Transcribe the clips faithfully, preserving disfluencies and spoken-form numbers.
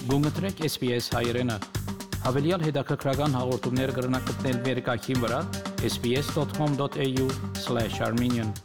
Գումտրեք S B S հայերենը։ Հավելյալ հետաքրքրական հաղորդումներ կգրնակցնել վերկայքին վրա S B S dot com dot A U slash Armenian։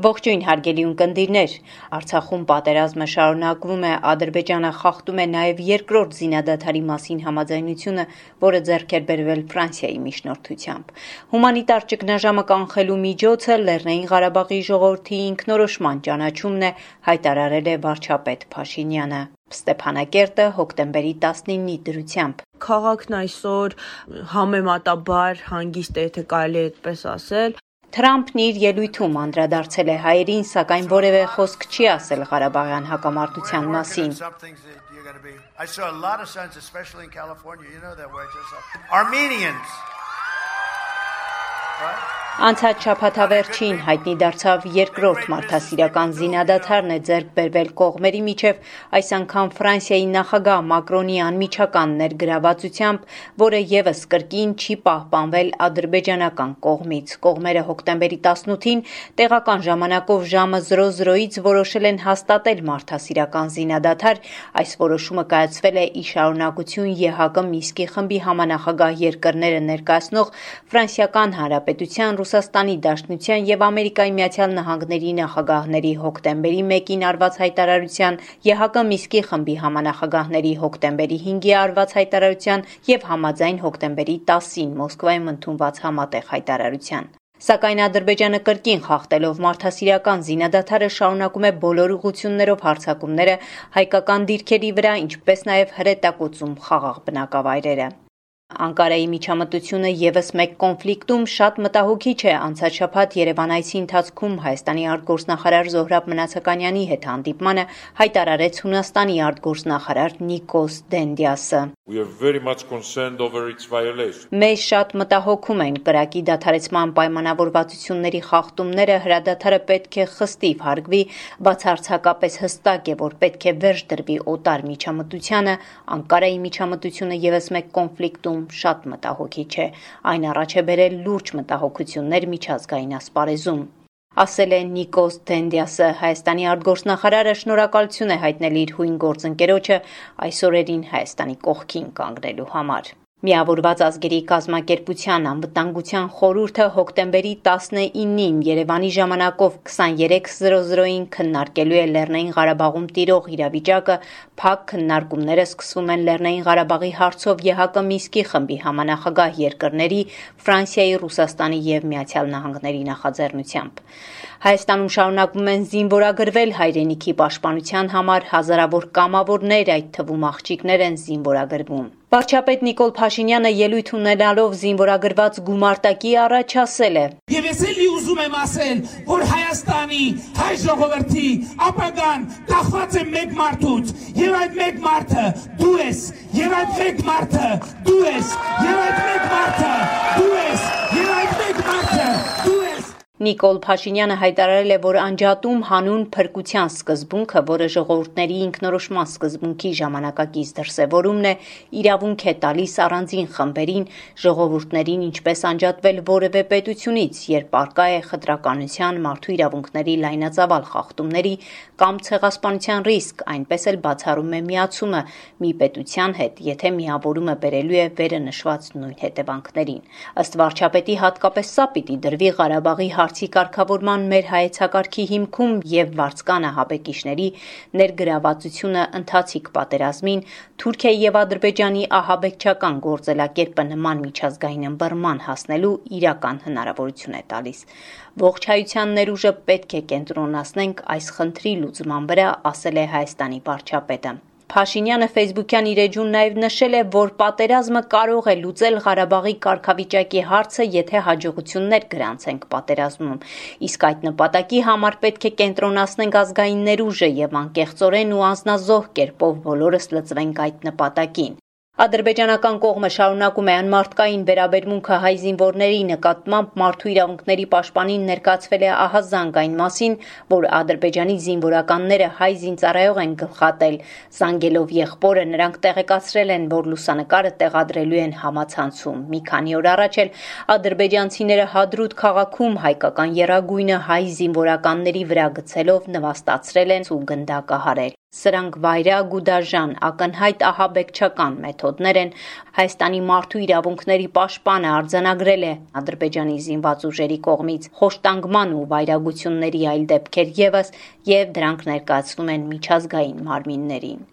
Ողջույն հարգելի ունկնդիրներ, Արցախում պատերազմը շարունակվում է, Ադրբեջանը խախտում է նաև երկրորդ զինադադարի մասին համաձայնությունը, որը ձեռք էր բերվել Ֆրանսիայի միջնորդությամբ։ Հումանիտար ճգնաժամը կանխելու միջոցը Լեռնային Ղարաբաղի ժողովրդի ինքնորոշման ճանաչումն է, հայտարարել է վարչապետ Փաշինյանը։ Ստեփանակերտը հոկտեմբերի տասնինի դրությամբ։ Քաղաքն այսօր համեմատաբար հանգիստ է, եթե կարելի է այդպես ասել։ Թրամփն իր ելույթում անդրադարձել է հայերին, սակայն որևէ խոսք չի ասել Ղարաբաղյան հակամարտության մասին։ Անցած շաբաթավերջին հայտնի դարձավ երկրորդ մարդասիրական զինադադարն է ձեռք բերվել կողմերի միջև, այս անգամ Ֆրանսիայի նախագահ Մակրոնի անմիջական ներգրավվածությամբ, որը ևս կրկին չի պահպանվել ադրբեջանական կողմից։ Կողմերը հոկտեմբերի տասնութին տեղական ժամանակով ժամը զրո զրոից որոշել են հաստատել մարդասիրական զինադադար։ Այս որոշումը կայացվել է ի շարունակություն Է Հ Կ Մինսկի խմբի համանախագահ երկրները ներկայացնող Ֆրանսիական Հանրապետության, Ռուսաստանի Դաշնության և Ամերիկայի Միացյալ Նահանգների նախագահների հոկտեմբերի մեկին արված հայտարարության, Է Հ Կ Մինսկի խմբի համանախագահների հոկտեմբերի հինգի արված հայտարարության և համաձայն հոկտեմբերի տասին Մոսկվայում ընդունված համատեղ հայտարարության։ Սակայն Ադրբեջանը կրկին խախտելով մարդասիրական զինադադարը շարունակում է բոլոր ուղղություններով հարձակումները հայկական դիրքերի վրա, ինչպես նաև հրետակոծում խաղաղ բնակավայրերը։ Անկարայի միջամտությունը ևս մեկ կոնֆլիկտում շատ մտահոգիչ է։ Անցած շաբաթ Երևան այցի ընթացքում Հայաստանի արտգործնախարար Զոհրաբ Մնացականյանի հետ հանդիպմանը հայտարարեց Հունաստանի արտգործնախարար Նիկոս Դենդիասը։ Մեզ շատ մտահոգում են կրակի դադարեցման պայմանավորվածությունների խախտումները, հրադադարը պետք է խստիվ հարգվի, բացարձակապես հստակ է, որ պետք է վերջ դրվի օտար միջամտությանը, Անկարայի միջամտությունը ևս մեկ կոնֆլիկտում շատ մտահոգիչ է, այն առաջ է բերել լուրջ մտահոգություններ միջազգային ասպարեզում, ասել է Նիկոս Դենդիասը։ Հայաստանի արտգործնախարարը շնորհակալություն է հայտնել իր հույն գործընկերոջը այս օրերին Հայաստանի կողքին կանգնելու համար։ Միավորված ազգերի կազմակերպության անվտանգության խորհուրդը հոկտեմբերի տասնինին Երևանի ժամանակով քսաներեք զրո զրոին քննարկելու է Լեռնային Ղարաբաղում տիրող իրավիճակը։ Փակ քննարկումները սկսվում են Լեռնային Ղարաբաղի հարցով Է Հ Կ Մինսկի խմբի համանախագահ երկրների Ֆրանսիայի, Ռուսաստանի և Միացյալ Նահանգների նախաձեռնությամբ։ Հայաստանում շարունակվում են զինվորագրվել հայրենիքի պաշտպանության համար, հազարավոր կամավորներ, այդ թվում աղջիկներ են զինվորագրվում։ Վարչապետ Նիկոլ Փաշինյանը ելույթ ունենալով զինվորագրված գումարտակի առաջ ասել է. Եվ ես էլի ուզում եմ ասել, որ Հայաստանի հայ ժողովրդի ապագան կախված է մեկ մարդուց, եւ այդ մեկ մարդը դու ես, եւ այդ մեկ մարդը դու ես, եւ այդ մեկ մարդը դու ես, եւ այդ մեկ մարդը դու ես։ Նիկոլ Փաշինյանը հայտարարել է, որ անջատում հանուն փրկության սկզբունքը, որը ժողովուրդների ինքնորոշման սկզբունքի ժամանակակից դրսևորումն է, իրավունք է տալիս առանձին խմբերին, ժողովուրդներին ինչպես անջատվել որևէ պետությունից, երբ առկա է խտրականության, մարդու իրավունքների լայնածավալ խախտումների կամ ցեղասպանության ռիսկ, այնպես էլ բացառում է միացումը մի պետության հետ, եթե միավորումը բերելու է վերը նշված նույն հետևանքներին։ Ըստ վարչապետի հատկապես սա պիտի դրվի Ղարաբաղի հարցի կարգավորման մեր հայեցակարգի հիմքում եւ վարձկան ահաբեկիչների ներգրավվածությունը ընթացիկ պատերազմին, Թուրքիայի եւ Ադրբեջանի ահաբեկչական գործելակերպը նման միջազգային ըմբռնման հասնելու իրական հնարավորություն է տալիս։ Ողջ հայության ներուժը պետք է կենտրոնացնենք այս խնդրի լուծման վրա, ասել է Հայաստանի վարչապետը։ Փաշինյանը Facebook-յան իր էջում նաև նշել է, որ պատերազմը կարող է լուծել Ղարաբաղի կարգավիճակի հարցը, եթե հաջողություններ գրանցենք պատերազմում, իսկ այդ նպատակի համար պետք է կենտրոնացնենք ազգային ներուժը եւ անկեղծորեն ու անձնազոհ կերպով բոլորս լծվենք այդ նպատակին։ Ադրբեջանական կողմը շարունակում է անմարդկային վերաբերմունքը հայ զինվորների նկատմամբ, մարդու իրավունքների պաշտպանին ներկայացվել է ահազանգ այն մասին, որ Ադրբեջանի զինվորականները հայ զինծառայող են գլխատել։ Զանգելով եղբորը նրանք տեղեկացրել են, որ լուսանկարը տեղադրելու են համացանցում։ Մի քանի օր առաջ էլ ադրբեջանցիները Հադրութ քաղաքում հայկական եռագույնը հայ զինվորականների վրա գցելով նվաստացրել են ու գնդակահարել։ Սրանք վայրագ ու դաժան, ակնհայտ ահաբեկչական մեթոդներ են, Հայաստանի մարդու իրավունքների պաշտպանը արձանագրել է Ադրբեջանի զինված ուժերի կողմից խոշտանգման ու վայրագությունների այլ դեպքեր ևս եւ դրանք ներկայացնում են միջազգային մարմիններին։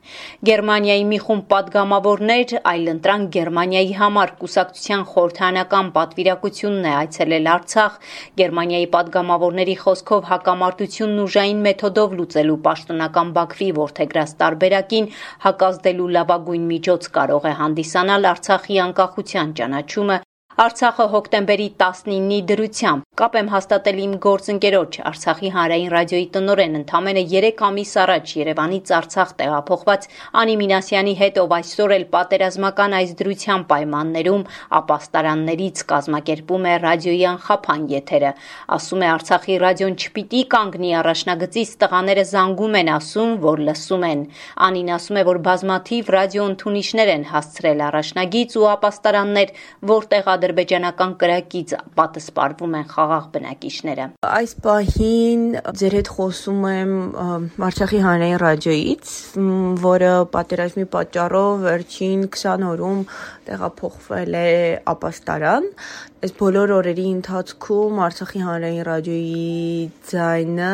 Գերմանիայի մի խումբ պատգամավորներ այլընտրանք Գերմանիայի համար կուսակցության խորհրդարանական պատվիրակությունն է այցելել Արցախ, Գերմանիայի պատգամավորների խոսքով հակամարտությունն ուժային մեթոդով լուծելու պաշտոնական Բաքվի որդեգրած տարբերակին հակազդելու լավագույն միջոց կարող է հանդիսանալ Արցախի անկախության ճանաչումը, Արցախը հոկտեմբերի տասնինի դրությամբ կապ եմ հաստատել իմ գործընկերոջ Արցախի հանրային ռադիոյի տնօրեն ընդամենը երեք ամիս առաջ Երևանից Արցախ տեղափոխված Անի Մինասյանի հետ, ով այսօր էլ պատերազմական այս դրության պայմաններում ապաստարաններից կազմակերպում է ռադիոյի անխափան եթերը։ Ասում է Արցախի ռադիոն չպիտի կանգնի առաջնագծից, տղաները զանգում են, ասում, որ լսում են։ Անին ասում է, որ բազմաթիվ ռադիո ընդունիչներ են հասցրել առաջնագիծ ու ապաստարաններ, որտեղ ադրբեջանական կրակից պատասպարվում են խաղաղ բնակիչները։ Այս պահին ձեր հետ խոսում եմ Արցախի հանրային ռադիոյից, որը պատերազմի պատճառով վերջին քսան օրում տեղափոխվել է ապաստարան։ Այս բոլոր օրերի ընթացքում Արցախի հանրային ռադիոյի ձայնը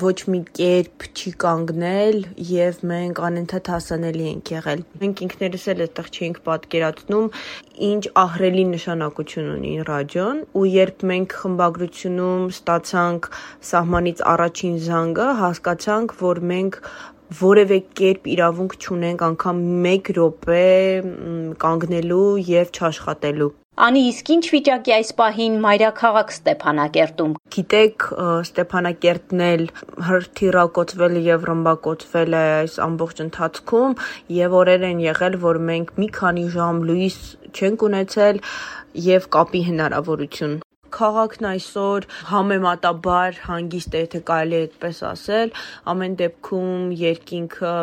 ոչ մի կերպ չի կանգնել եւ մենք անընդհատ հասանելի ենք եղել։ Մենք ինքներս էլ այդտեղ չենք պատկերացնում, ինչ ահռելի նշանակություն ունի ռադիոն, ու երբ մենք խմբագրությունում ստացանք սահմանից առաջին զանգը, հասկացանք, որ մենք որևէ կերպ իրավունք չունենք անգամ մեկ րոպե կանգնելու եւ չաշխատելու։ Անի, իսկ ինչ վիճակի այս պահին մայրաքաղաք Ստեփանակերտում։ Գիտեք, Ստեփանակերտն էլ հրթիռակոծվել եւ ռմբակոծվել է այս ամբողջ ընթացքում եւ օրեր են եղել, որ մենք մի քանի ժամ լույս չենք ունեցել եւ կապի հնարավորություն։ Քաղաքն այսօր համեմատաբար հանգիստ է, եթե կարելի է այդպես ասել, ամեն դեպքում երկինքը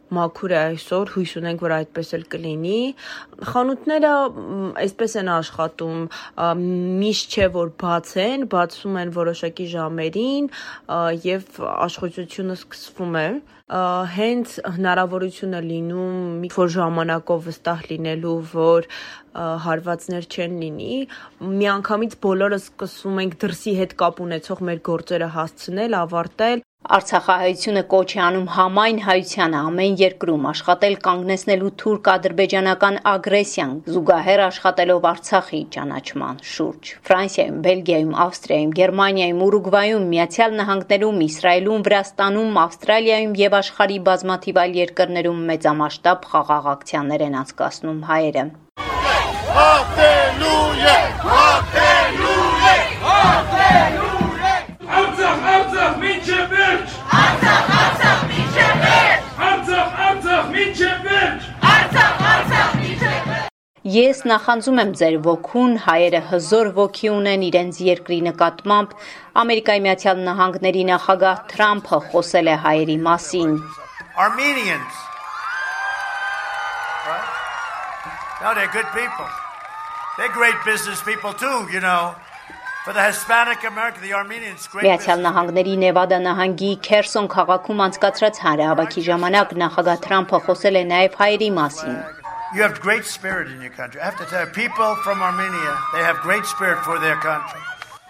մաքուր է այսօր, հույս ունենք, որ այդպես էլ կլինի։ Խանութները այսպես են աշխատում, միշտ չէ, որ բաց են, բացվում են որոշակի ժամերին եւ աշխատությունը սկսվում է։ Հենց հնարավորությունը լինում մի որ ժամանակով վստահ լինելու, որ հարվածներ չեն լինի, միանգամից բոլորը սկսում ենք դրսի հետ կապ ունեցող մեր գործերը հասցնել, ավարտել։ Արցախահայությունը կոչ է անում համայն հայությանը ամեն երկրում աշխատել կանգնեցնելու թուրք-ադրբեջանական ագրեսիան, զուգահեռ աշխատելով Արցախի ճանաչման շուրջ։ Ֆրանսիայում, Բելգիայում, Ավստրիայում, Գերմանիայում, Ուրուգվայում, Միացյալ Նահանգներում, Իսրայելում, Վրաստանում, Ավստրալիայում եւ աշխարհի բազմաթիվ այլ երկրներում մեծամասշտաբ խաղաղ ակցիաներ են անցկացնում հայերը։ Հալելույա! Հալելույա! Հալելույա! Արցախ, Արցախ, մինչև վերջ! Արցախ, Արցախ, մինչև վերջ! Արցախ, Արցախ, մինչև վերջ! Արցախ, Արցախ, մինչև վերջ! Ես նախանձում եմ ձեր ոգուն, հայերը հզոր ոգի ունեն իրենց երկրի նկատմամբ, Ամերիկայի Միացյալ Նահանգների նախագահ Թրամփը խոսել է հայերի մասին։ Armenians. Right? No, they're good people. They're great business people too, you know. For the Hispanic America, the Armenians great. Միացյալ Նահանգների Նևադա նահանգի Քերսոն քաղաքում անցկացրած հանրահավաքի ժամանակ նախագահ Թրամփը խոսել է նաև հայերի մասին։ You have great spirit in your country. I have to tell you, people from Armenia, they have great spirit for their country.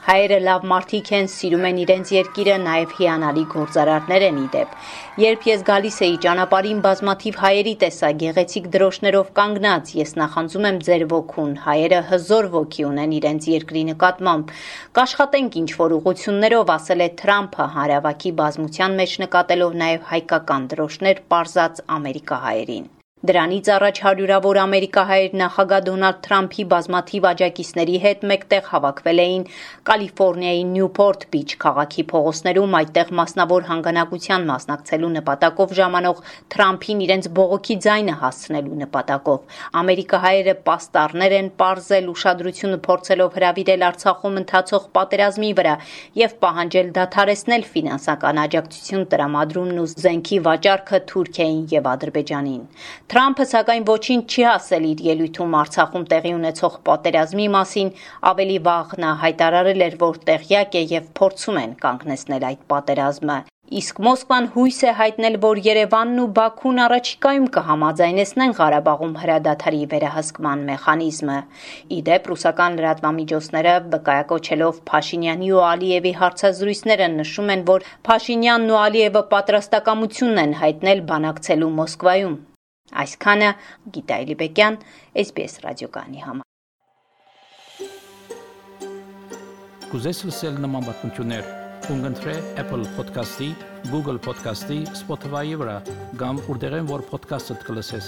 Հայերը լավ մարդիկ են, սիրում են իրենց երկիրը, նաև հիանալի գործարարներ են իդեպ։ Երբ ես գալիս էի ճանապարհին, բազմաթիվ հայերի տեսա գեղեցիկ դրոշներով կանգնած, ես նախանձում եմ ձեր ոգուն, հայերը հզոր ոգի ունեն իրենց երկրի նկատմամբ։ Կաշխատենք ինչ-որ ուղղություններով, ասել է Թրամփը հանրահավաքի բազմության մեջ նկատելով նաև հայկական դրոշներ պարզած ամերիկահայերին։ Դրանից առաջ հարյուրավոր ամերիկահայեր նախագահ Դոնալդ Թրամփի բազմաթիվ աջակիցների հետ մեկտեղ հավաքվել էին Կալիֆոռնիայի Նյուփորթ Բիչ քաղաքի փողոցներում, այդտեղ մասնավոր հանգանակության մասնակցելու նպատակով ժամանող Թրամփին իրենց բողոքի ձայնը հասցնելու նպատակով։ Ամերիկահայերը պաստառներ են պարզել, ուշադրությունը փորձելով հրավիրել Արցախում ընթացող պատերազմի վրա եւ պահանջել դադարեցնել ֆինանսական աջակցություն տրամադրումն ու զենքի վաճառքը Թուրքիային եւ Ադրբեջանին։ Թրամփը սակայն ոչինչ չի ասել իր ելույթում Արցախում տեղի ունեցող պատերազմի մասին, ավելի վաղ նա հայտարարել էր, որ տեղյակ է եւ փորձում են կանգնեցնել այդ պատերազմը։ Իսկ Մոսկվան հույս է հայտնել, որ Երևանն ու Բաքուն առաջիկայում կհամաձայնեցնեն Ղարաբաղում հրադադարի վերահսկման մեխանիզմը։ Ի դեպ, ռուսական լրատվամիջոցները վկայակոչելով Փաշինյանի ու Ալիևի հարցազրույցները նշում են, որ Փաշինյանն ու Ալիևը պատրաստակամություն են հայտնել բանակցելու Մոսկվայում։ Այսքանը Գիտա Էլիբեկյան, S B S ռադիոկայանի համար։ Կուզես լսել նման բանություններ, կընտրե Apple Podcast-ի, Google Podcast-ի, Spotify-ի վրա, կամ որտեղեն որ podcast-ը կլսես։